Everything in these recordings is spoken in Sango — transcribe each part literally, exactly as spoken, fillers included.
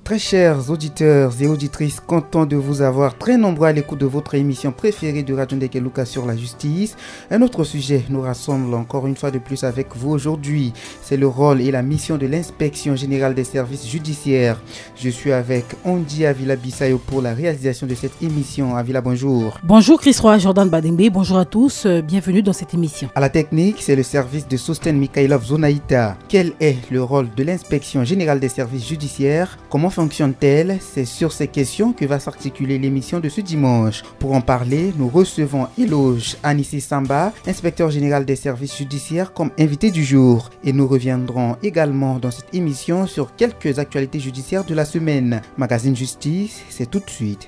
Très chers auditeurs et auditrices, content de vous avoir très nombreux à l'écoute de votre émission préférée de Radio Ndekeluka sur la justice. Un autre sujet nous rassemble encore une fois de plus avec vous aujourd'hui. C'est le rôle et la mission de l'inspection générale des services judiciaires. Je suis avec Andy Avila Bissayo pour la réalisation de cette émission. Avila, bonjour. Bonjour Chris Roy, Jordan Badengbe, bonjour à tous, euh, bienvenue dans cette émission. À la technique, c'est le service de Sosten Mikhailov Zonaïta. Quel est le rôle de l'inspection générale des services judiciaires ? Comment fonctionne-t-elle ? C'est sur ces questions que va s'articuler l'émission de ce dimanche. Pour en parler, nous recevons Eloge Anissi Samba, inspecteur général des services judiciaires, comme invité du jour. Et nous reviendrons également dans cette émission sur quelques actualités judiciaires de la semaine. Magazine Justice, c'est tout de suite.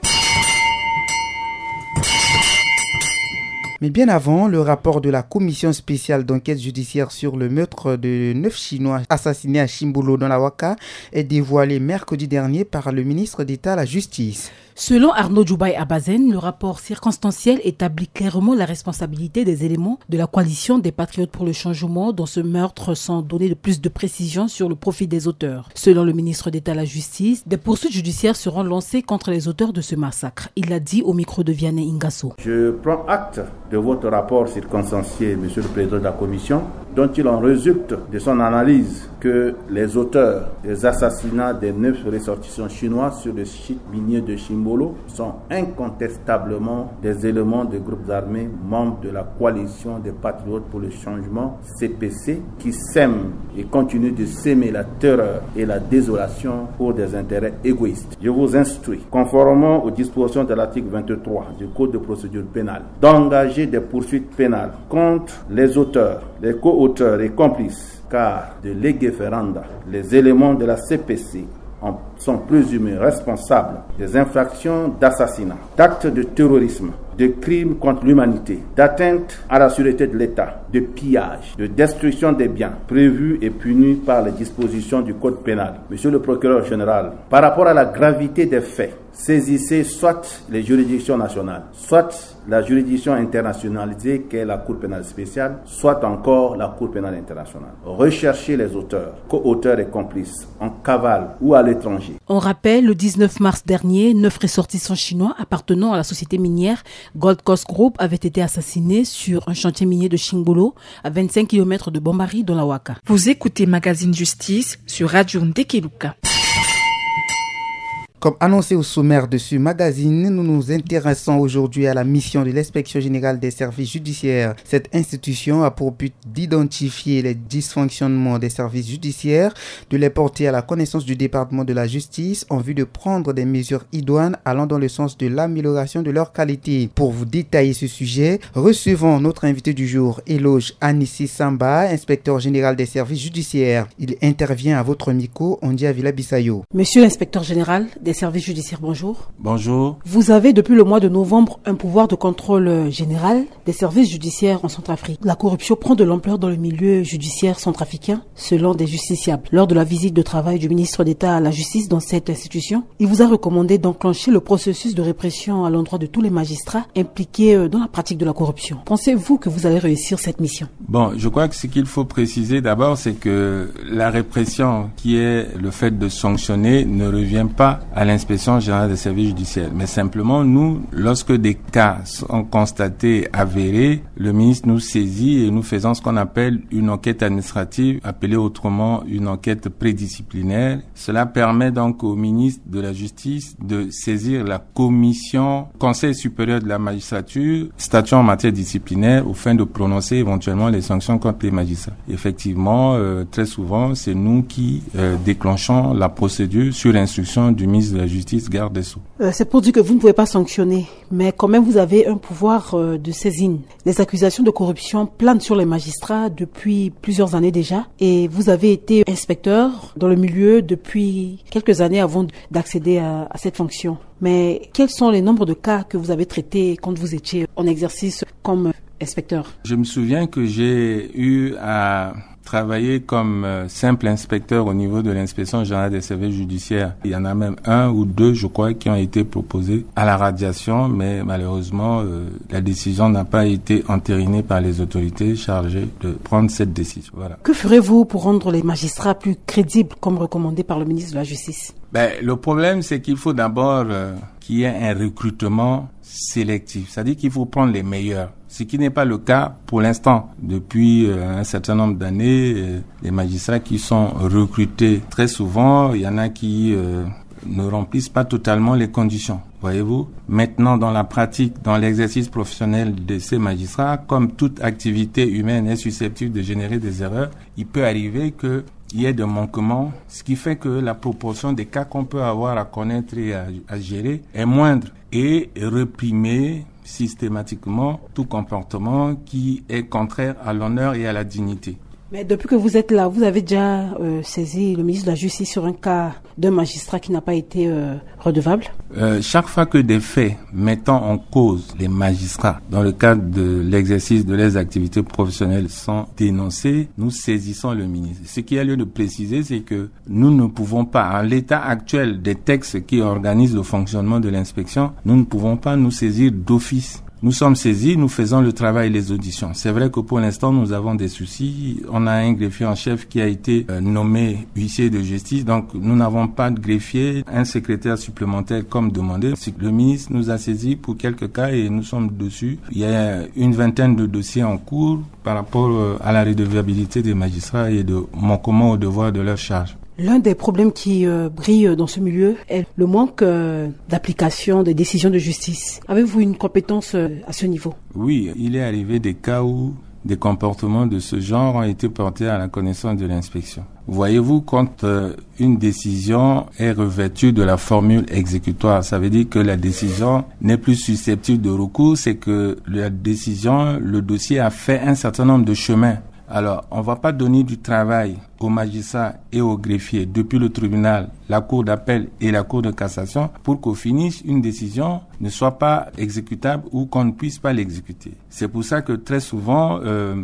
Mais bien avant, le rapport de la commission spéciale d'enquête judiciaire sur le meurtre de neuf Chinois assassinés à Chimbolo dans la Ouaka est dévoilé mercredi dernier par le ministre d'État à la Justice. Selon Arnaud Djoubaye Abazen, le rapport circonstanciel établit clairement la responsabilité des éléments de la coalition des patriotes pour le changement dans ce meurtre, sans donner de plus de précisions sur le profil des auteurs. Selon le ministre d'État à la Justice, des poursuites judiciaires seront lancées contre les auteurs de ce massacre. Il l'a dit au micro de Vianney Ingasso. Je prends acte de votre rapport circonstancié, Monsieur le Président de la Commission, dont il en résulte de son analyse que les auteurs des assassinats des neuf ressortissants chinois sur le site minier de Chimbolo sont incontestablement des éléments des groupes armés membres de la coalition des patriotes pour le changement, C P C, qui sèment et continuent de semer la terreur et la désolation pour des intérêts égoïstes. Je vous instruis, conformément aux dispositions de l'article vingt-trois du Code de procédure pénale, d'engager des poursuites pénales contre les auteurs, les co-auteurs et complices, car de lege ferenda, les éléments de la C P C en sont présumés responsables des infractions d'assassinat, d'actes de terrorisme, de crimes contre l'humanité, d'atteinte à la sûreté de l'État, de pillage, de destruction des biens prévus et punis par les dispositions du Code pénal. Monsieur le procureur général, par rapport à la gravité des faits, saisissez soit les juridictions nationales, soit la juridiction internationalisée qu'est la Cour pénale spéciale, soit encore la Cour pénale internationale. Recherchez les auteurs, co-auteurs et complices, en cavale ou à l'étranger. On rappelle, le dix-neuf mars dernier, neuf ressortissants chinois appartenant à la société minière Gold Coast Group avaient été assassinés sur un chantier minier de Chimbolo, à vingt-cinq kilomètres de Bambari, dans la Ouaka. Vous écoutez Magazine Justice sur Radio Ndekeluka. Comme annoncé au sommaire de ce magazine, nous nous intéressons aujourd'hui à la mission de l'inspection générale des services judiciaires. Cette institution a pour but d'identifier les dysfonctionnements des services judiciaires, de les porter à la connaissance du département de la justice en vue de prendre des mesures idoines allant dans le sens de l'amélioration de leur qualité. Pour vous détailler ce sujet, recevons notre invité du jour, Eloge Anissi Samba, inspecteur général des services judiciaires. Il intervient à votre micro, Andy Avila Bissayo. Monsieur l'inspecteur général des services judiciaires, bonjour. Bonjour. Vous avez depuis le mois de novembre un pouvoir de contrôle, euh, général des services judiciaires en Centrafrique. La corruption prend de l'ampleur dans le milieu judiciaire centrafricain, selon des justiciables. Lors de la visite de travail du ministre d'État à la Justice dans cette institution, il vous a recommandé d'enclencher le processus de répression à l'endroit de tous les magistrats impliqués, euh, dans la pratique de la corruption. Pensez-vous que vous allez réussir cette mission ? Bon, je crois que ce qu'il faut préciser d'abord, c'est que la répression, qui est le fait de sanctionner, ne revient pas à l'inspection générale des services judiciaires. Mais simplement, nous, lorsque des cas sont constatés, avérés, le ministre nous saisit et nous faisons ce qu'on appelle une enquête administrative, appelée autrement une enquête pluridisciplinaire. Cela permet donc au ministre de la Justice de saisir la commission Conseil supérieur de la magistrature statuant en matière disciplinaire, au fin de prononcer éventuellement les sanctions contre les magistrats. Effectivement, euh, très souvent, c'est nous qui, euh, déclenchons la procédure sur instruction du ministre de la Justice, garde des Sceaux. Euh, c'est pour dire que vous ne pouvez pas sanctionner, mais quand même, vous avez un pouvoir, euh, de saisine. Les accusations de corruption planent sur les magistrats depuis plusieurs années déjà, et vous avez été inspecteur dans le milieu depuis quelques années avant d'accéder à, à cette fonction. Mais quels sont les nombres de cas que vous avez traités quand vous étiez en exercice comme inspecteur ? Je me souviens que j'ai eu à travailler comme euh, simple inspecteur au niveau de l'inspection générale des services judiciaires. Il y en a même un ou deux, je crois, qui ont été proposés à la radiation, mais malheureusement, euh, la décision n'a pas été entérinée par les autorités chargées de prendre cette décision. Voilà. Que ferez-vous pour rendre les magistrats plus crédibles, comme recommandé par le ministre de la Justice ? Ben, le problème, c'est qu'il faut d'abord euh, qu'il y ait un recrutement sélectif. C'est-à-dire qu'il faut prendre les meilleurs. Ce qui n'est pas le cas pour l'instant. Depuis euh, un certain nombre d'années, euh, les magistrats qui sont recrutés, très souvent, il y en a qui euh, ne remplissent pas totalement les conditions. Voyez-vous ? Maintenant, dans la pratique, dans l'exercice professionnel de ces magistrats, comme toute activité humaine est susceptible de générer des erreurs, il peut arriver que il y a des manquements, ce qui fait que la proportion des cas qu'on peut avoir à connaître et à, à gérer est moindre, et réprimer systématiquement tout comportement qui est contraire à l'honneur et à la dignité. Mais depuis que vous êtes là, vous avez déjà euh, saisi le ministre de la Justice sur un cas d'un magistrat qui n'a pas été euh, redevable ? Euh, chaque fois que des faits mettant en cause les magistrats dans le cadre de l'exercice de leurs activités professionnelles sont dénoncés, nous saisissons le ministre. Ce qui a lieu de préciser, c'est que nous ne pouvons pas, à l'état actuel des textes qui organisent le fonctionnement de l'inspection, nous ne pouvons pas nous saisir d'office. Nous sommes saisis, nous faisons le travail, les auditions. C'est vrai que pour l'instant, nous avons des soucis. On a un greffier en chef qui a été euh, nommé huissier de justice. Donc, nous n'avons pas de greffier, un secrétaire supplémentaire comme demandé. Le ministre nous a saisis pour quelques cas et nous sommes dessus. Il y a une vingtaine de dossiers en cours par rapport euh, à la redevabilité des magistrats et de manquement au devoir de leur charge. L'un des problèmes qui euh, brille dans ce milieu est le manque euh, d'application des décisions de justice. Avez-vous une compétence euh, à ce niveau ? Oui, il est arrivé des cas où des comportements de ce genre ont été portés à la connaissance de l'inspection. Voyez-vous, quand euh, une décision est revêtue de la formule exécutoire, ça veut dire que la décision n'est plus susceptible de recours, c'est que la décision, le dossier a fait un certain nombre de chemins. Alors, on ne va pas donner du travail au magistrat et au greffier depuis le tribunal, la cour d'appel et la cour de cassation pour qu'au finish, une décision ne soit pas exécutable ou qu'on ne puisse pas l'exécuter. C'est pour ça que très souvent, euh,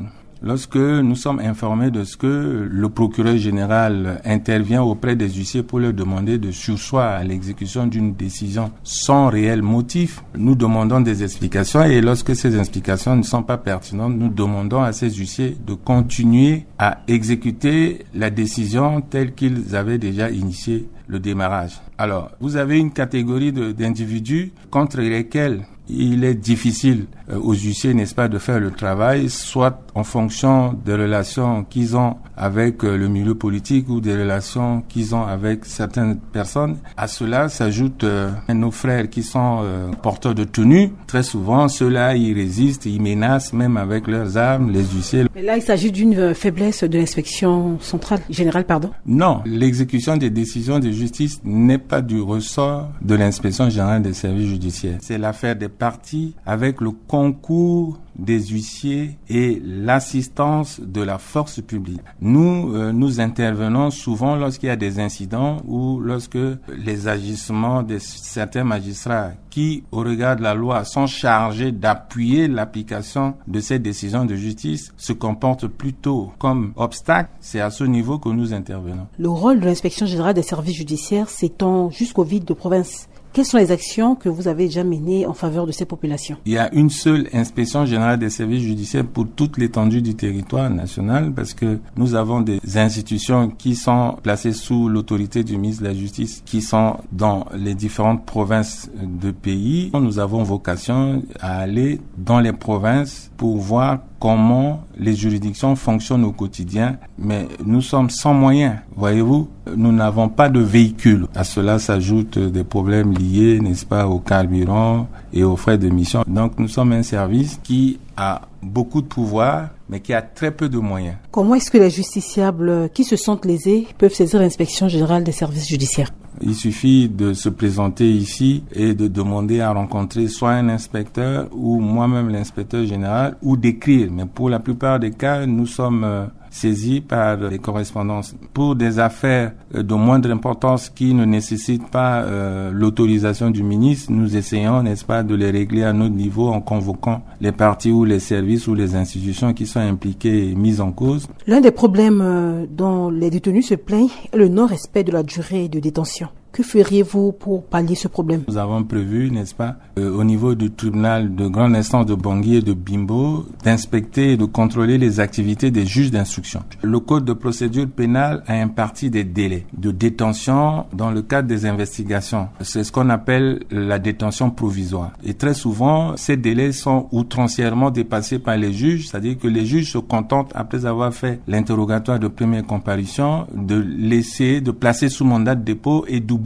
lorsque nous sommes informés de ce que le procureur général intervient auprès des huissiers pour leur demander de surseoir à l'exécution d'une décision sans réel motif, nous demandons des explications et lorsque ces explications ne sont pas pertinentes, nous demandons à ces huissiers de continuer à exécuter la décision telle qu'ils avaient déjà initié le démarrage. Alors, vous avez une catégorie de, d'individus contre lesquels il est difficile euh, aux huissiers, n'est-ce pas, de faire le travail, soit en fonction des relations qu'ils ont avec euh, le milieu politique ou des relations qu'ils ont avec certaines personnes. À cela s'ajoute euh, nos frères qui sont euh, porteurs de tenue. Très souvent, ceux-là, ils résistent, ils menacent même avec leurs armes, les huissiers. Mais là, il s'agit d'une euh, faiblesse de l'inspection centrale, générale, pardon. Non, l'exécution des décisions de justice n'est pas du ressort de l'inspection générale des services judiciaires. C'est l'affaire des parties avec le concours des huissiers et l'assistance de la force publique. Nous, euh, nous intervenons souvent lorsqu'il y a des incidents ou lorsque les agissements de certains magistrats qui, au regard de la loi, sont chargés d'appuyer l'application de ces décisions de justice, se comportent plutôt comme obstacle. C'est à ce niveau que nous intervenons. Le rôle de l'inspection générale des services judiciaires s'étend jusqu'au vide de province. Quelles sont les actions que vous avez déjà menées en faveur de ces populations ? Il y a une seule inspection générale des services judiciaires pour toute l'étendue du territoire national parce que nous avons des institutions qui sont placées sous l'autorité du ministre de la Justice qui sont dans les différentes provinces de pays. Nous avons vocation à aller dans les provinces pour voir comment les juridictions fonctionnent au quotidien, mais nous sommes sans moyens, voyez-vous. Nous n'avons pas de véhicule. À cela s'ajoutent des problèmes liés, n'est-ce pas, au carburant et aux frais de mission. Donc nous sommes un service qui a beaucoup de pouvoir, mais qui a très peu de moyens. Comment est-ce que les justiciables qui se sentent lésés peuvent saisir l'inspection générale des services judiciaires ? Il suffit de se présenter ici et de demander à rencontrer soit un inspecteur ou moi-même l'inspecteur général ou d'écrire. Mais pour la plupart des cas, nous sommes euh, saisi par les correspondances. Pour des affaires euh, de moindre importance qui ne nécessitent pas euh, l'autorisation du ministre, nous essayons, n'est-ce pas, de les régler à notre niveau en convoquant les parties ou les services ou les institutions qui sont impliquées et mises en cause. L'un des problèmes euh, dont les détenus se plaignent est le non-respect de la durée de détention. Que feriez-vous pour pallier ce problème ? Nous avons prévu, n'est-ce pas, euh, au niveau du tribunal de grande instance de Bangui et de Bimbo, d'inspecter et de contrôler les activités des juges d'instruction. Le code de procédure pénale a imparti des délais de détention dans le cadre des investigations. C'est ce qu'on appelle la détention provisoire. Et très souvent, ces délais sont outrancièrement dépassés par les juges, c'est-à-dire que les juges se contentent, après avoir fait l'interrogatoire de première comparution, de laisser, de placer sous mandat de dépôt et d'oublier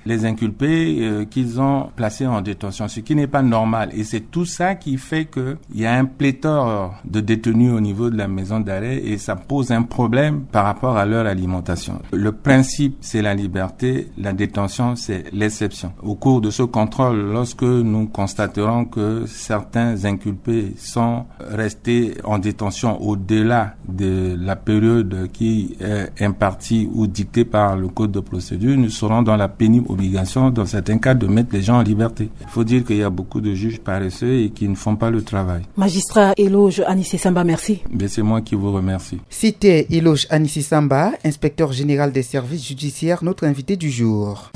les inculpés euh, qu'ils ont placés en détention, ce qui n'est pas normal. Et c'est tout ça qui fait qu'il y a un pléthore de détenus au niveau de la maison d'arrêt et ça pose un problème par rapport à leur alimentation. Le principe, c'est la liberté, la détention, c'est l'exception. Au cours de ce contrôle, lorsque nous constaterons que certains inculpés sont restés en détention au-delà de la période qui est impartie ou dictée par le code de procédure, nous serons dans la pénible obligation, dans certains cas, de mettre les gens en liberté. Il faut dire qu'il y a beaucoup de juges paresseux et qui ne font pas le travail. Magistrat Eloge Anissé Samba, merci. Mais c'est moi qui vous remercie. C'était Eloge Anissé Samba, inspecteur général des services judiciaires, notre invité du jour.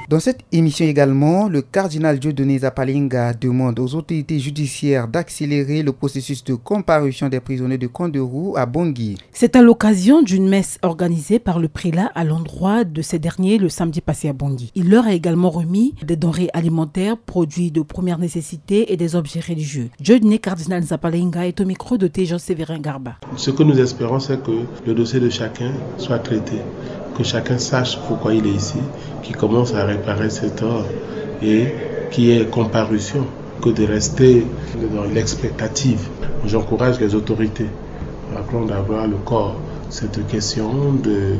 Dans cette émission également, le cardinal Dieudonné Zapalinga demande aux autorités judiciaires d'accélérer le processus de comparution des prisonniers de Kanderou à Bangui. C'est à l'occasion d'une messe organisée par le prélat à l'endroit de ces derniers le samedi passé à Bangui. Il leur a également remis des denrées alimentaires, produits de première nécessité et des objets religieux. Dieudonné Cardinal Zapalinga est au micro de Tejan Sévérin Garba. Ce que nous espérons, c'est que le dossier de chacun soit traité, que chacun sache pourquoi il est ici, qu'il commence à réparer ses torts et qu'il y ait comparution que de rester dans l'expectative. J'encourage les autorités, rappelons d'abord le corps, cette question de,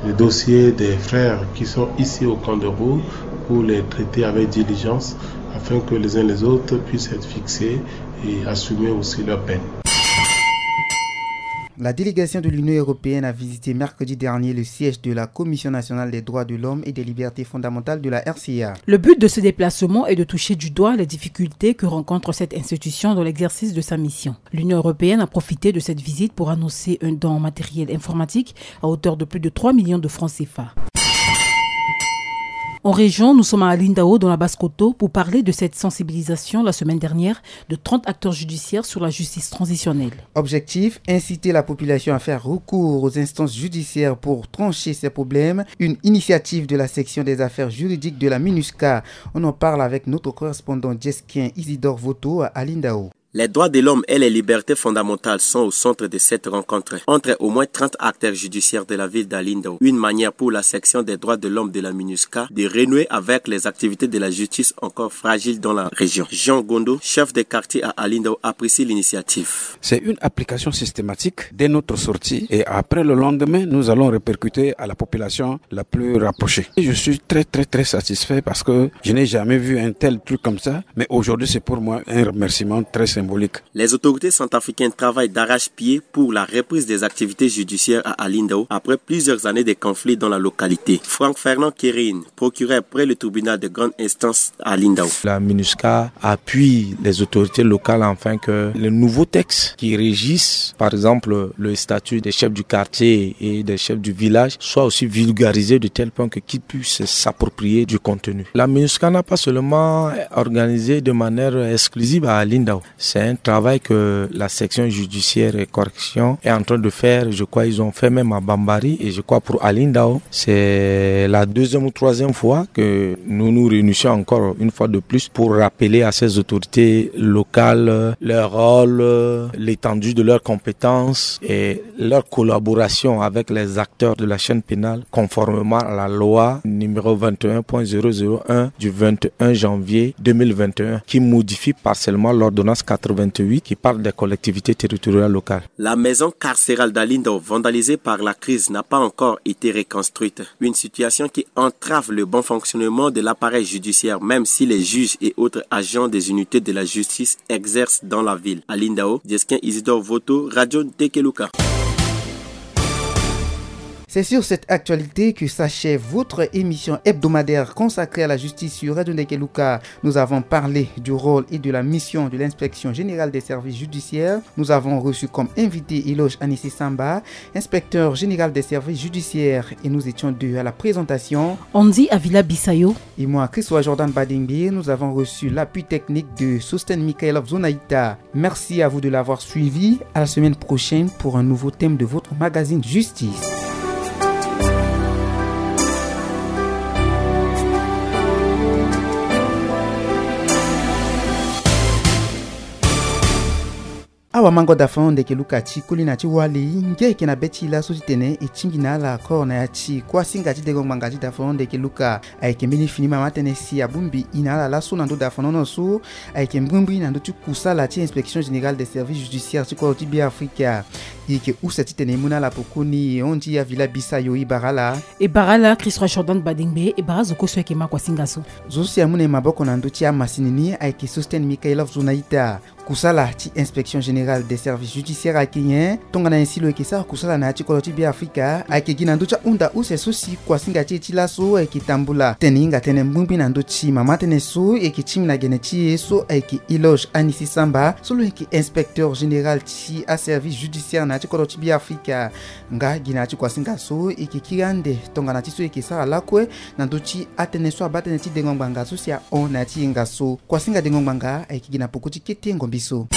de dossier des frères qui sont ici au Kanderou pour les traiter avec diligence afin que les uns les autres puissent être fixés et assumer aussi leur peine. La délégation de l'Union européenne a visité mercredi dernier le siège de la Commission nationale des droits de l'homme et des libertés fondamentales de la R C A. Le but de ce déplacement est de toucher du doigt les difficultés que rencontre cette institution dans l'exercice de sa mission. L'Union européenne a profité de cette visite pour annoncer un don en matériel informatique à hauteur de plus de trois millions de francs C F A. En région, nous sommes à Alindao, dans la Basse-Kotto, pour parler de cette sensibilisation la semaine dernière de trente acteurs judiciaires sur la justice transitionnelle. Objectif, inciter la population à faire recours aux instances judiciaires pour trancher ses problèmes. Une initiative de la section des affaires juridiques de la MINUSCA. On en parle avec notre correspondant djesquien Isidore Voto à Alindao. Les droits de l'homme et les libertés fondamentales sont au centre de cette rencontre entre au moins trente acteurs judiciaires de la ville d'Alindao. Une manière pour la section des droits de l'homme de la MINUSCA de renouer avec les activités de la justice encore fragiles dans la région. Jean Gondo, chef de quartier à Alindao, apprécie l'initiative. C'est une application systématique dès notre sortie et après le lendemain, nous allons répercuter à la population la plus rapprochée. Et je suis très, très, très satisfait parce que je n'ai jamais vu un tel truc comme ça. Mais aujourd'hui, c'est pour moi un remerciement très symbolique. Les autorités centrafricaines travaillent d'arrache-pied pour la reprise des activités judiciaires à Alindao après plusieurs années de conflits dans la localité. Franck Fernand Kérine, procureur près le tribunal de grande instance à Alindao. La MINUSCA appuie les autorités locales afin que les nouveaux textes qui régissent, par exemple, le statut des chefs du quartier et des chefs du village, soient aussi vulgarisés de tel point que qu'ils puissent s'approprier du contenu. La MINUSCA n'a pas seulement organisé de manière exclusive à Alindao. C'est un travail que la section judiciaire et correction est en train de faire. Je crois qu'ils ont fait même à Bambari et je crois pour Alindao, c'est la deuxième ou troisième fois que nous nous réunissons encore une fois de plus pour rappeler à ces autorités locales leur rôle, l'étendue de leurs compétences et leur collaboration avec les acteurs de la chaîne pénale conformément à la loi numéro vingt et un point zéro zéro un du vingt et un janvier deux mille vingt et un qui modifie partiellement l'ordonnance quatre quatre-vingt-huit qui parle des collectivités territoriales locales. La maison carcérale d'Alindao, vandalisée par la crise, n'a pas encore été reconstruite. Une situation qui entrave le bon fonctionnement de l'appareil judiciaire, même si les juges et autres agents des unités de la justice exercent dans la ville. Alindao, Djesquin Isidore Voto, Radio Ntekeluka. C'est sur cette actualité que s'achève votre émission hebdomadaire consacrée à la justice sur Radio Ntekeluka. Nous avons parlé du rôle et de la mission de l'inspection générale des services judiciaires. Nous avons reçu comme invité Eloge Anissé Samba, inspecteur général des services judiciaires, et nous étions deux à la présentation. Andy Avila Bissayo. Et moi, Christophe Jordan Badingbe, nous avons reçu l'appui technique de Sosten Mikhailov Zonaïta. Merci à vous de l'avoir suivi. À la semaine prochaine pour un nouveau thème de votre magazine Justice. Awa mango dafano ndeke luka ti koli na ti wali nge eke na be ti laso ti tene e tingbi na ala kor na ya ti kuasinga ti dengo ngbanga ti dafano ndeke luka. Ayeke mbeni fini mama tënë si abongbi e na ala laso na ndö dafanono so ayeke mbrimbri na ndö ti kusala ti inspection générale des services judiciaires ti kodro ti Beafrika. E yeke use titene e mu na ala pokoni e hon ti Avila Bissayo. E bara ala. E bara ala Christophe Jordan Badingbe. E bara zo kue so ayeke ma kuasinga so. Zo so si amu na e maboko na ndö ti amasini ni ayeke Sosten Mikhailov Zonaïta. Kusala ti inspection générale des services judiciaires ayeke nyen? Tongana nyen si lo yeke sara kusala na ya ti kodro ti Beafrika? Ayeke gi na ndö ti ahunda use so si kuasinga ti e ti laso ayeke tambula tene e hinga tënë mbrimbri na ndö ti mama tënë so e yeke tingbi na gene ti e so ayeke Eloge Anissé Samba so lo yeke inspecteur général ti aservice judiciaire na ya ti kodro ti Beafrika. Nga gi na ya ti kuasinga so e yeke kiri ande tongana ti so e yeke sara lakue na ndö ti atënë so abaa tënë ti dengo ngbanga so si ahon na ya ti yenga so. Kuasinga dengo ngbanga ayeke gi na peko ti kete ngombi so.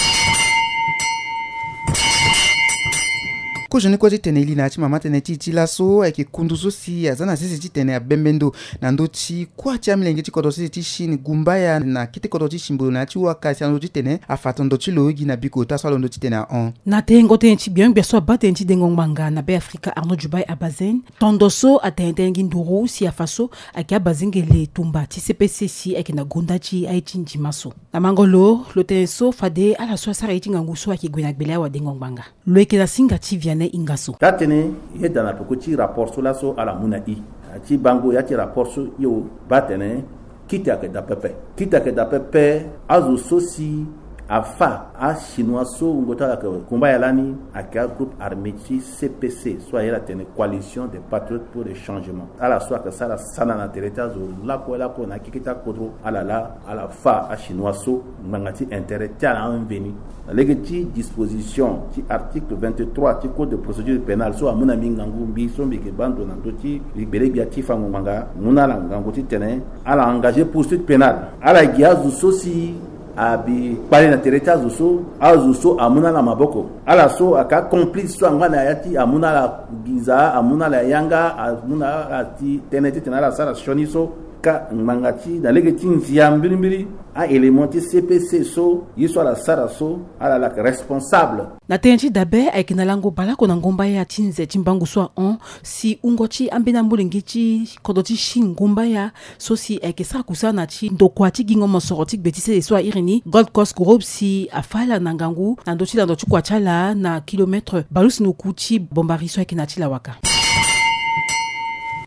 Kozoni kue titene e li na ya ti mama tënë ti e ti laso ayeke kundu so si aza na sese titene abembe ndo na ndö ti kuâ ti amilenge ti kodro sese ti Chine gumbaya na kete kodro ti Simbolo na ya ti waka si alondo titene afa tondo ti lo gi na biko ota so alondo titene ahon. Na tengo tënë ti gbion-gbia so abaa tënë ti dengo ngbanga na Beafrika Arnaud Djubaye Abazen, tondo so atene tënë gi nduru si afa so ayeke abazengele tumba ti C P C si ayeke na gonda ti aye ti ndima so. Na mango lo, lo tene so fade ala so asara ye ti ngangu so ayeke gue na gbele awadengo ngbanga. Lo yeke na singa ti Vianney Ingasso. Taa-tënë e yeda na peko ti rapport so laso ala mu na e. Na ya ti bango ya ti rapport so, hio baa atene kite ayeke daa pepe. Kite ayeke daa pepe. Azo so si afa achinois so wungo ti ala ayeke kumbaya lani ayeke agroupe armé ti C P C so aye ala tene Coalition des Patriotes pour le Changement. Ala so ayeke sara sana na tere ti azo lakue lakue na akeke ti akodro, ala laa ala fa achinois so ngbanga ti intérêt ti ala amveni. Na lege ti disposition ti article vingt-trois ti code de procédure pénale so amu na mbi ngangu, mbi so mbi yeke baa ndo na ndö ti mbi gbele gbia ti fango ngbanga, mu na ala ngangu titene ala engagé poursuite pénale. Ala gi azo so si abi kpale na tere ti azo so, azo so amu na ala maboko. Ala so ayeke acomplice so angba na ya ti amu na ala nginza, amu na ala yanga, amu na ala ti tënë titene ala sara sioni so. Ka ngbanga ti na lege ti nzia mbirimbiri, a-élément ti C P C so ye so ala sara so, ala laa responsable. Na tënë ti dabe, ayeke na lango baleoko na ngombaya ti nze ti mbangu so ahon si wungo ti ambeni amolenge ti kodro ti Chine ngombaya so si ayeke sara kusala na ti ndokua ti gingo mosoro ti gbe ti sese so a iri ni Gold Coast Group si afa ala na ngangu na ndö ti lando ti kua ti ala na kilomètre balusu na oku ti bombari so ayeke na ya ti lawaka.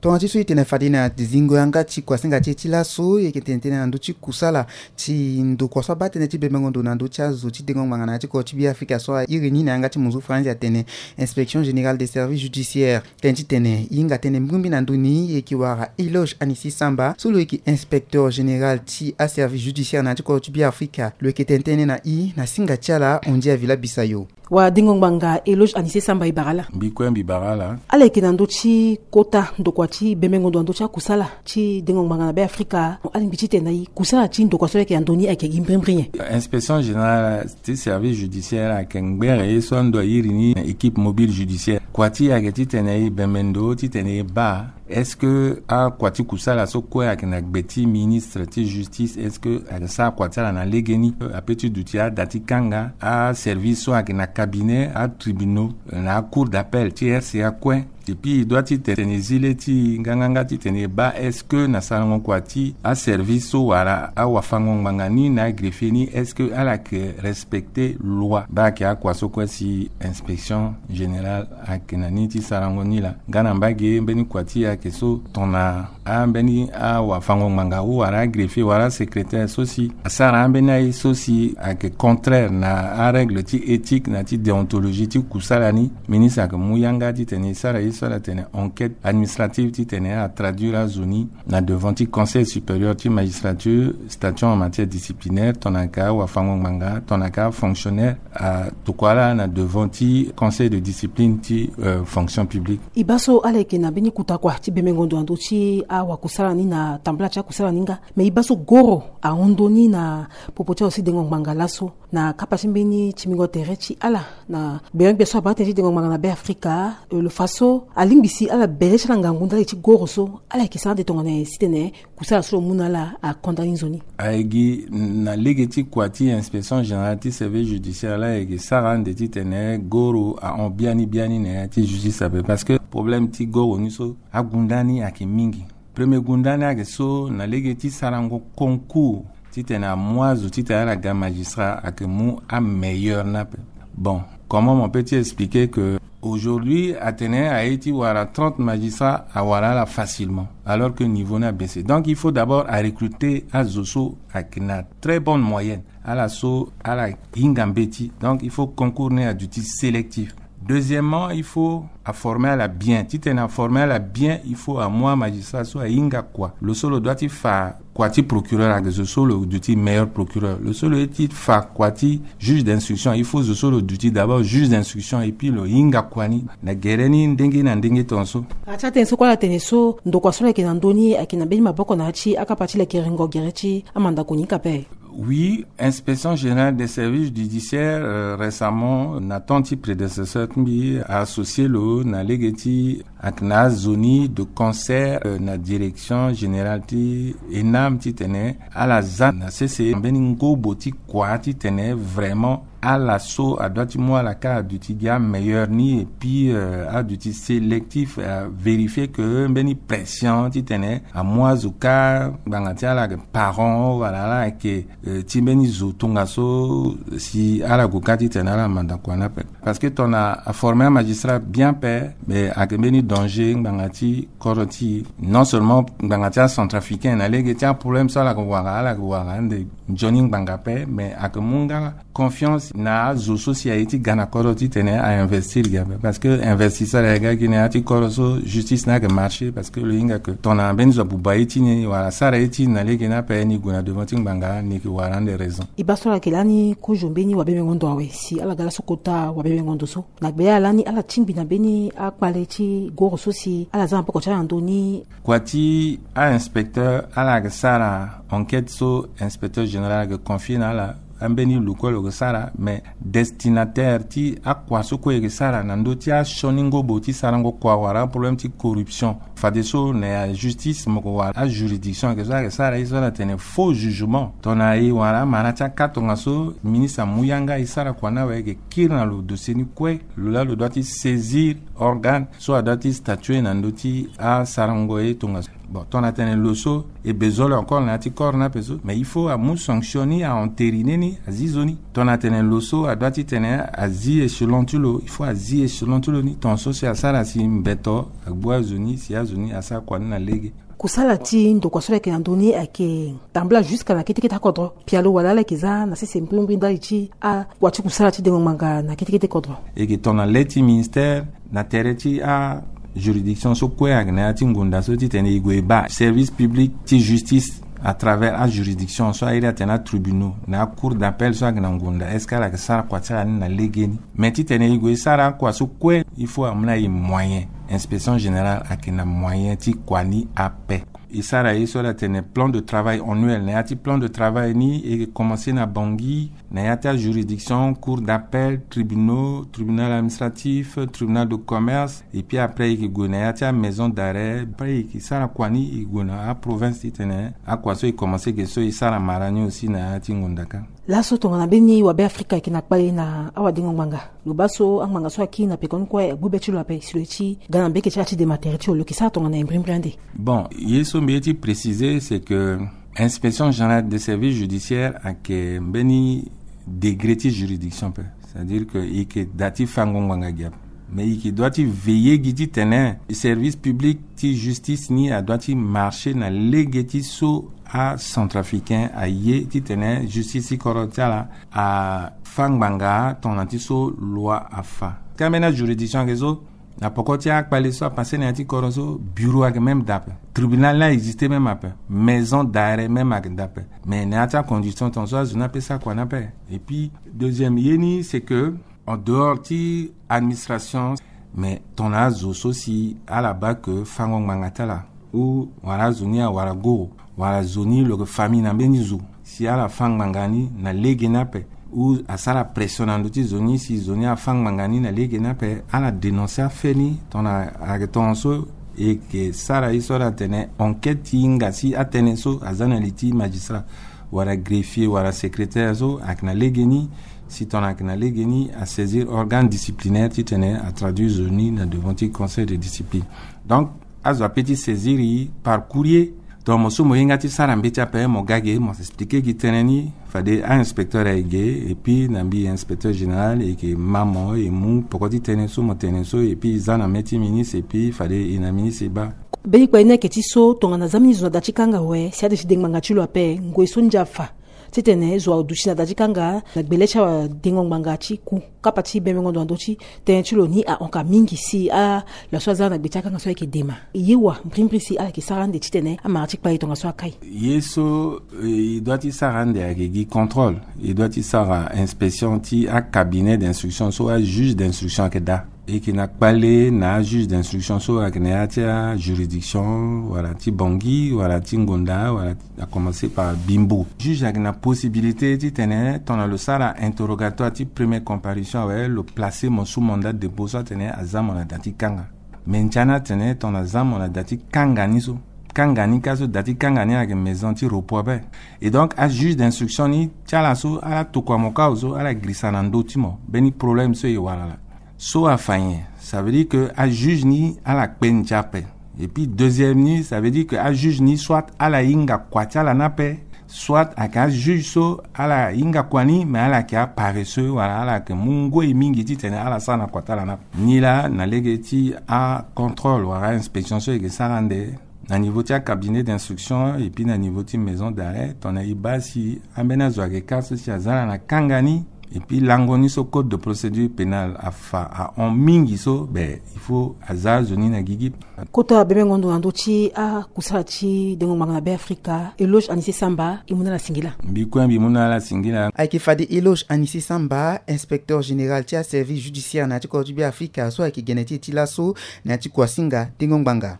Tongana ti so e tene fade na zingo yanga ti kuasinga ti e ti laso, e yeke tene tënë na ndö ti kusala ti ndokua so abaa tënë ti bembengo ndo na ndö ti azo ti dengo ngbanga na ya ti kodro ti Beafrika so a iri ni na yanga ti monzu faranzi atene inspection générale des services judiciaires. Tënë titene e hinga tënë mbirimbiri na ndö ni e yeke wara Eloge Anissé Samba so lo yeke inspecteur général ti aservice judiciaire na ya ti kodro ti Beafrika. Lo yeke tene tënë na e na singa ti ala Andy Avila Bissayo. Wadengo ngbanga Eloge Anissé Samba, e bara ala. Mbi kue mbi bara ala. Ala yeke na ndö ti kota ndokua ti bembengo ndo na ndö ti akusala ti dengo ngbanga na Beafrika. Alingbi titene na e kusala ti ndokua so ayeke na ndö ni ayeke gi mbirimbiri nyen? Inspection générale ti service judiciaire ayeke ngbere ye so ando airi ni na équipe mobile judiciaire. Kua ti e ayeke titene e bembe ndo titene e baa est-ce que akua ti kusala so kue ayeke na gbe ti ministre ti justice, est-ce que ayeke sara kua ti ala na legeni? Ape ti duti ada ti kanga aservice so ayeke na cabinet, atribunaux, na acour d'appel ti R C A kue. Depuis e dua ti tene e zi le ti nganganga ti tene e baa est-ce que na sarango kua ti aservice so wala awafango ngbanga ni na agreffier ni, est-ce que ala yeke respecter loi? Baa ayeke akua so kue si inspection générale ayeke na ni ti sarango ni laa. Nga na mbage mbeni kua ti e ayeke so tongana ambeni awafango ngbanga ou wala agreffier wala asecrétaire so si asara ambeni aye so si ayeke contraire na arègle ti éthique na ti déontologie ti kusala ni, ministre ayeke mu yanga ti tene e sara ye so ala tene enquête administrative ti tene atraduire azo ni na devant ti Conseil supérieur ti magistrature, statut en matière disciplinaire, tongana ayeke awafango ngbanga, tongana ayeke afonctionnaire, atokua ala na devant ti Conseil de discipline ti, euh, fonction publique. E baa so ala yeke na mbeni kuta kua ti bembengo ndo na ndö ti awakusala ni na tambula ti akusala ni nga. Me e baa so goro ahon ndoni na popo ti azo ti dengo ngbanga laso na kapa ti mbeni timbingo tere ti ala na gbenegbia so abaa tënë ti dengo ngbanga na Beafrika, euh, lo fa so alingbi si ala bele ti ala ngangu ndali ti goro so ala yeke sara ande tongana nyen si tene kusala so lo mu na ala akonda ni nzoni. Ayeke gi na lege ti kua ti inspection générale ti service judiciaire laa ayeke sara ande ti tene goro ahon biani biani na ya ti justice ape, parce que problème ti goro ni so agunda ni ayeke mingi. Premier gunda ni ayeke so na lege ti sarango concours ti tene amu azo ti tene ala ga magistrat ayeke mu ameilleur ni ape. Bon, comment mo peut ti expliquer que aujourd'hui atene aye ti wara trente magistrats awara ala facilement, alors que niveau ni abaissé. Donc il faut d'abord arecruter azo so ayeke na très bonne moyenne, ala so ala hinga mbeti. Donc il faut concours ni aduti sélectif. Deuxièmement, il faut aformer ala bien. Ti tene aformer ala bien, il faut amu amagistrat so ahinga kua. Lo so lo dua ti fa kua ti procureur ayeke zo so lo duti meilleur procureur. Lo so lo ye ti fa kua ti juge d'instruction, il faut zo so lo duti d'abord juge d'instruction, et puis lo hinga kua ni na gere ni ndenge na ndenge tongaso. Ati atene so kue ala tene so ndokua so lo yeke na ndö ni ayeke na mbeni maboko na ya ti akapa ti lekerengo gere ti amandako ni kape. Oui, inspection générale des services judiciaires, euh, récemment na temps ti prédécesseur ti mbi associé lo na lege ti ayeke na azo ni de concert, euh, na direction générale ti ENAM ti tene ala za na sese mbeni ngobo ti kua ti tene vraiment ala so adua ti mu ala ka aduti gi ameilleur ni, et puis, euh, aduti sélectif, avérifier que mbeni pression ti tene amu azo ka ngbanga ti ala ayeke parent wala ala ayeke, euh, ti mbeni zo tongaso si ala gue ka ti tene ala manda kua ni ape. Parce que tongana aformer amagistrat bien ape, mais ayeke mbeni danger ngbanga ti kodro ti e. Non seulement ngbanga ti acentrafricain na lege ti aproblème so ala yeke wara, ala yeke wara ande nzoni ngbanga ape, mais ayeke mu nga confiance na azo so si aye ti ga na kodro ti tene ainvestir gi ape. Parce que investisseur ayeke ga gi na ya ti kodro so justice ni ayeke marché, parce que lo hinga que tongana mbeni zo abuba ye ti ni wala asara ye ti ni na lege ni ape, ni gue na devant ti ngbanga, ni yeke wara ande raison. E baa so ala yeke lani kozo mbeni wabebengo ndo awe si ala ga laso kota wabebengo ndo so. Na gbe ala ni ala tingbi na mbeni akpale ti goro so si ala za na poko ti ala na ndö ni. Kua ti ainspecteur ala yeke sara enquête so inspecteur général ayeke confier na ala, ambeni lo kue lo yeke sara, mais destinataire ti akua so kue e yeke sara na ndö ti asioni ngobo ti sarango kua wala aproblème ti corruption. Fadeso na ya justice mo yeke wara ajuridiction ayeke so ayeke sara ye so ala tene faux jugement. Tongana e wara amara ti aka tongaso ministre amu yanga e sara kua ni awe, e yeke kiri na lo dossier ni kue, lo laa lo dua ti saisir organe so adua ti statuer na ndö ti asarango ye tongaso. Bon, tongana tene lo so e bezoin lo encore na ya ti corps ni ape so, mais il faut amu sanction ni, a entériner ni, azi zo ni. Tongana tene lo so adua ti tene azi échelon ti lo, il faut azi échelon ti lo ni. Tongaso si asara si mbeto agbu azo ni, si azo ni asara kua ni na lege. Kusala ti ndokua so lo yeke na ndö ni ayeke tambula jusqu'à na kete kete akodro. Pialo wala ala yeke za na sese mbrimbri ndali ti akua ti kusala ti dengo ngbanga na kete kete kodro. E yeke tongana le ti ministère na tere ti ajuridiction so kue ayeke na ya ti ngonda so ti tene e gue e baa service public ti justice à travers ajuridiction so airi atene atribunaux na acour d'appel so ayeke na ngonda, est-ce que ala yeke sara kua ti ala ni na legeni? Mais ti tene e gue e sara akua so kue, il faut amu na e moyen. Inspection générale ayeke na moyen ti kua ni ape. E sara ye so ala tene plan de travail annuel. Na ya ti plan de travail ni, e commencé na Bangui, na ya ti ajuridiction, cour d'appel, tribunaux, tribunal administratif, tribunal de commerce, et puis après e ke gue na ya ti amaison d'arrêt. Après e ke sara kua ni, e gue na aprovince titene akua so e commencé ge so e sara mara ni aussi na ya ti ngonda kâ. Laso tongana mbeni wabe Afrika e ke na kpale na awadengo ngbanga, lo baa so angbanga so akiri na pekoni kue agbu be ti lo ape si lo ye ti ga na mbeke ti ala ti dema tere ti lo, lo ke sara tongana e mbrimbri ande. Bon, ye so mbi ye ti préciser, c'est que Inspection générale des services judiciaires ayeke mbeni degré ti juridiction ape. C'est-à-dire que e yeke da ti fango ngbanga gi ape. Mais e yeke doit ti veiller gi titene service public ti justice ni adoit ti marcher na lege ti so acentrafricain aye titene justice ti kodro ti ala afa ngbanga tongana ti so loi afa. Ti ambeni ajuridiction ayeke so, na poko ti akpale so apassé na ya ti kodro so, bureau ayeke même da ape. Tribunal ni a existé même ape. Maison d'arrêt même ayeke da ape. Mais na ya ti acondition tongaso azo ni ape sara kua ni ape. Et puis deuxième ye ni, c'est que en dehors ti administration, mais tongana azo so si ala baa ke fango ngbanga ti ala, ou wala azo ni awara goro, wala zo ni lo yeke famille na mbeni zo, si ala fa ngbanga ni na lege ni ape, ou asara pression na ndö ti zo ni si zo ni afa ngbanga ni na lege ni ape, ala dénoncer afait ni. Tongana ayeke tongaso, e yeke sara ye so ala tene enquête ti hinga si atënë so aza na li ti magistrat wala greffier wala secrétaire so ayeke na lege ni. Si tongana ayeke na lege ni, asaisir organe disciplinaire titene atraduire zo ni na devant ti conseil de discipline. Donc azo ape ti saisir e par courrier. Donc mo so mo hinga ti sara mbeti ape, mo ga ge mo expliquer gi tënë ni, fade ainspecteur aye ge, et puis na mbi inspecteur général, e yeke ma mo e mu poko ti tënë so mo tene so, et puis e za na mê ti ministre, et puis fade e na ministre e baa. Mbeni kpale ni ayeke ti so, tongana za mbeni zo na da ti kanga awe, si ade ti de ngbanga ti lo ape, ngoi so ndia afa titene zo aduti na da ti kanga na gbele ti awadengo ngbanga ti ku kapa ti bemengo ndo na ndö ti tënë ti lo ni ahon ka mingi si ala so aza na gbe ti akanga so ayeke dema. E ye wa mbrimbri si ala yeke sara ande titene amara ti kpale tongaso akai. Ye so, eh, e doit ti sara ande ayeke gi contrôle. E doit ti sara inspection ti acabinet d'instruction so ajuge d'instruction ayeke daa. E yeke na kpale na ajuge d'instruction so ayeke na ya ti ajuridiction wala ti Bangui wala ti Ngonda wala a commencer par Bimbo. Juge ayeke na possibilité titene tongana lo sara interrogatoire ti première comparution awe, lo placer mo sous mandat de dépôt so atene aza mo na da ti kanga. Me ndia ni atene tongana aza mo na da ti kanga ni so, kanga ni kâ so, da ti kanga ni ayeke maison ti repos ape. Et donc ajuge d'instruction ni ti ala so ala tokua mo kâ awe so, ala girisa na ndö ti mo mbeni problème so e wara laa. So afa nyen? Ça veut dire que ajuge ni ala kpe ndia ape. Et puis deuxième ni, ça veut dire que ajuge ni soit ala hinga kua ti ala ni ape, soit ayeke ajuge so ala hinga kua ni, mais ala yeke aparesseux wala ala yeke mu ngoi mingi titene ala sara na kua ti ala ni ape. Ni laa na lege ti acontrôle wala ainspection so e yeke sara ande na niveau ti acabinet d'instruction et puis na niveau ti maison d'arrêt, tongana e baa si ambeni azo ayeke kâ so si aza na kanga ni, et puis lango ni so code de procédure pénale afa ahon mingi so, ben il faut aza azo ni na gigi. Kota bemengo ndo na ndö ti akusala ti dengo ngbanga na Be Afrika, Eloge Anissé Samba, e mu na ala singila. Mbi kue mbi mu na ala singila. Ayeke fade Eloge Anissé Samba, inspecteur général ti aservice judiciaire na ya ti kodro ti Be Afrika so ayeke gene ti e ti laso na ya ti kuasinga dengo ngbanga.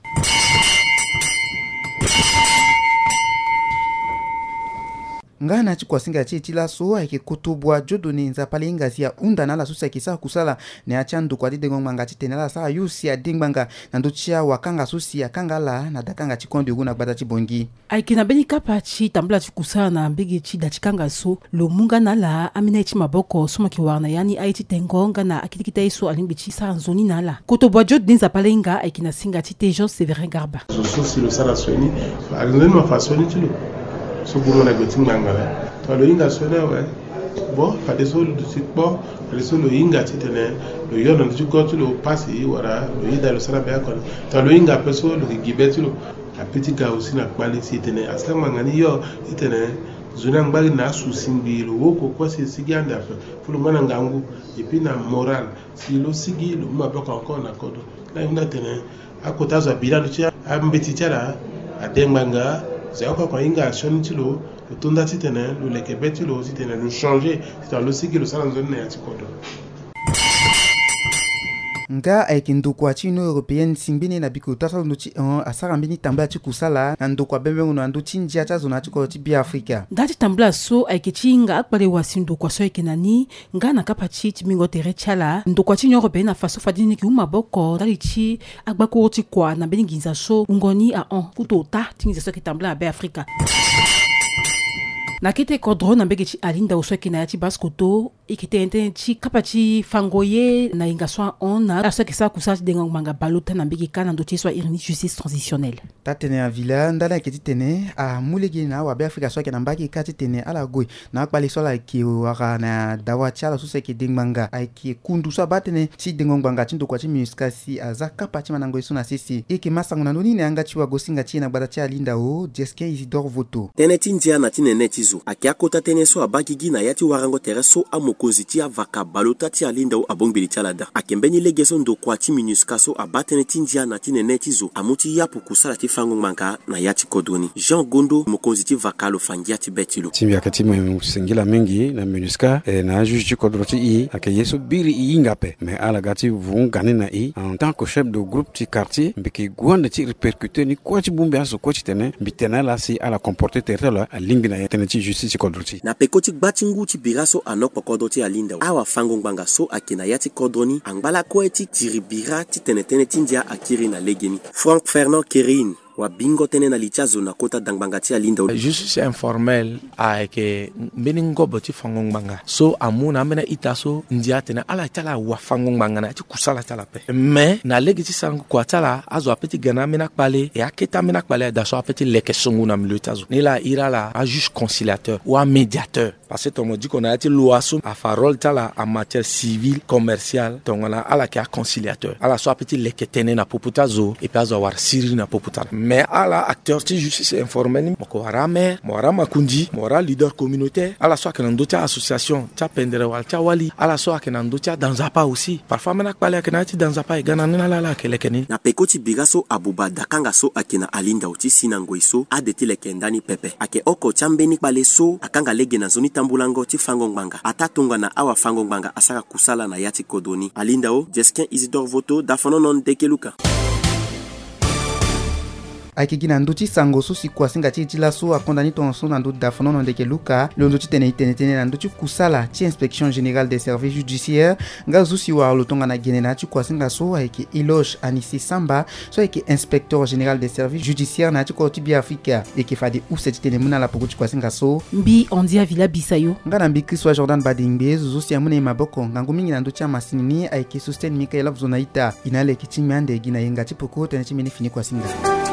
Nga na ya ti kuasinga ti e ti laso ayeke Kotobua Dieudonné Nzapa Lehinga si ahunda na ala so si ayeke sara kusala na ya ti andokua ti dengo ngbanga titene ala sara yo si ade ngbanga na ndö ti awakanga so si akanga ala na dakanga ti Coin de Rou na gbata ti Bangui. Ayeke na mbeni kapa ti tambula ti kusala na mbage ti da ti kanga so, lo mu nga na ala ambeni aye ti maboko so mo yeke wara na ya ni aye ti tengo nga na akete kete aye so alingbi ti sara nzoni na ala. Kotobua Dieudonné Nzapa Lehinga ayeke na singa ti Tejo Sévérin Garba. Zo so si lo sara sioni, alingbi ni mo fa sioni ti lo so gbu mo na gbe ti ngbanga laa. Tongana lo hinga sioni awe, bon, fadeso lo duti kpo, fadeso lo hinga titene lo yo na ndö ti go ti lo pasi wala lo yeda lo sara be oko ni. Tongana lo hinga ape so lo yeke gi be ti lo. Ape ti ga aussi na kpale si e tene asara ngbanga ni yo, e tene nzoni angba gi na asu singbi lo woko kue si e sigi ande ape. Fo lo mu na ngangu et puis na moral si lo sigi lo mu maboko encore na kodro. Laa e hunda tene akota zo abira ndo ti ambeti ti ala ade ngbanga. Zo oko oko ahinga asioni ti lo, lo to nda titene lo leke be ti lo titene lo changer titene lo sigi lo sara nzoni na ya ti kodro. Nga ayeke ndokua ti Union Européenne si mbeni na biko ota so alondo ti hon asara mbeni tambula ti kusala na ndokua bembengo na ndö ti ndia ti azo na ya ti kodro ti Beafrika. Nda ti tambula so ayeke ti hinga akpale wasi ndokua so ayeke na ni nga na kapa ti ti mbingo tere ti ala ndokua ti Union Européenne afa so fade ni yeke huma maboko ndali ti agbakuru ti kua na mbeni nginza so wungo ni ahon kutu ota ti nginza so ayeke tambula na Beafrika. Na kete kodro na mbege ti Alindao so ayeke na ya ti Basse-Kotto, e yeke tene tënë ti kapa ti fango ye na hinga so ahon na ala so ayeke sara kusala ti dengo ngbanga balota na mbege kâ na ndö ti ye so airi ni justice transitionnelle. Taa-tene Avila, ndali ayeke titene amu lege na awabe Afrika so ayeke na mbage kâ titene ala gue na akpale so ala yeke wara na dawa ti ala so si ayeke de ngbanga ayeke kundu so abaa tënë ti dengo ngbanga ti ndokua ti MINUSCA si aza kapa ti mandango ye so na sese. E yeke ma sango na ndö ni na yanga ti wagosinga ti e na gbata ti Alindao, Jesquin Isidore Voto. Tënë ti ndia na ti nene ti zo ayeke akota tënë so abaa gigi na ya ti warango tere so amokonzi ti avaka balota ti Alindao abongbi li ti ala daa. Ayeke mbeni lege so ndokua ti MINUSCA so abaa tënë ti ndia na ti nene ti zo amu ti yapu kusala ti fango ngbanga na ya ti kodro ni. Jean Gondo, mokonzi ti vaka lo fa ngia ti be ti lo. Ti mbi ayeke ti mo singila mingi na MINUSCA, e, na ajuge ti kodro ti e, ayeke ye so biri e hinga ape. Mais ala ga ti vunga ni na e en tant que chef de groupe ti quartier, mbi yeke gue ande ti répercuter ni kue ti bongbi azo kue titene mbi tene ala si ala comporter tere ti ala alingbi na ya tënë ti justice ti kodro ti e. Na peko ti gba ti ngu ti bira so anokpo kodro ti Alindao, awafango ngbanga so ayeke na ya ti kodro ni angba lakue ti tiri bira titene tënë ti ndia akiri na legeni. Franck Fernand Kerin, wabingo tënë na li ti azo na kota dangbanga ti Alindao. Justice informelle ayeke mbeni ngobo ti fango ngbanga so amu na ambeni a-ita so ndia atene ala ti ala awafango ngbanga na ya ti kusala ti ala ape. Mais na lege ti sarango kua ti ala, azo ape ti ga na ambeni akpale, e akete ambeni akpale daa so ape ti leke songo na milieu ti azo. Ni laa a iri ala ajuge conciliateur ou amédiateur. Parce que tongana mo diko na ya ti loi so afa rôle ti ala en matière civile, commerciale, tongana ala yeke aconciliateur, ala so ape ti leke tënë na popo ti azo, et puis azo awara siriri na popo ti ala. Mais ala acteur ti justice informelle ni, mo yeke wara amaire, mo wara amakonzi, mo wara aleader communautaire, ala so ayeke na ndö ti a-association ti apendere wala ti awali, ala so ayeke na ndö ti ada nzapa aussi. Parfois ambeni akpale ayeke na ya ti da nzapa, e ga na ni na ala, ala yeke leke ni. Na peko ti bira so abuba dakanga so ayeke na Alindao ti si na ngoi so ade ti leke ndani pepe. Ayeke oko ti ambeni kpale so akanga lege na nzoni tambulango ti fango ngbanga ataa tongana awafango ngbanga asara kusala na ya ti kodro ni. Alindao, Jesquin Isidore Voto, Dafonono Ndeke Luka. Ayeke gi na ndö ti sango so si kuasinga ti e ti laso akonda ni tongaso na ndö ti Dafonono Ndeke Luka, lo ndo titene e tene tënë na ndö ti kusala ti Inspection Générale des Services Judiciaires. Nga zo si wara lo tongana gene na ya ti kuasinga so ayeke Eloge Anicet Samba, so ayeke Inspecteur Général des Services Judiciaires na ya ti kodro ti Beafrika. E yeke fade use titene e mu na ala poko ti kuasinga so. Mbi Andy Avila Bisayo. Nga na mbi Christ wa Jordan Badingbe, zo so si amu na e maboko ngangu mingi na ndö ti amasini ni ayeke Sosten Michael Avuzo na ita. E na ala yeke ti ngbia ande gi na yenga ti poko tënë ti mbeni fini kuasinga.